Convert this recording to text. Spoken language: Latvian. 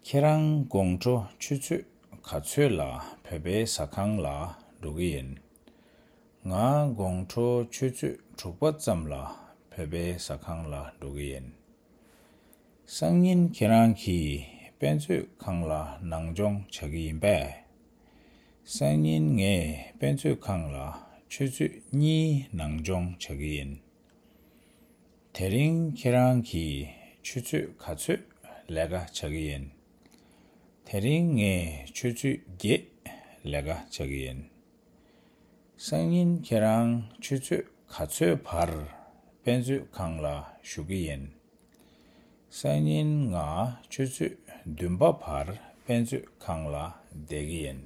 Kerang gongcho chuchu katsue la pepe sakang la rugiyin. Nga gongcho chuchu chukpatsam la pepe sakang la rugiyin. Sangyin kerang ki penchu kang la nangjong chagiyin bay. Sangyin nge penchu kang la chuchu ni nangjong chagiyin. Tering kerang ki chuchu katsue lega chagiyin. Tering nge chuchu ge lega chagiyin. Sangyin kerang chuchu katsue par penchu kang la shugiyin. Sangyin nga chuchu dumba par penchu kang la degiyin.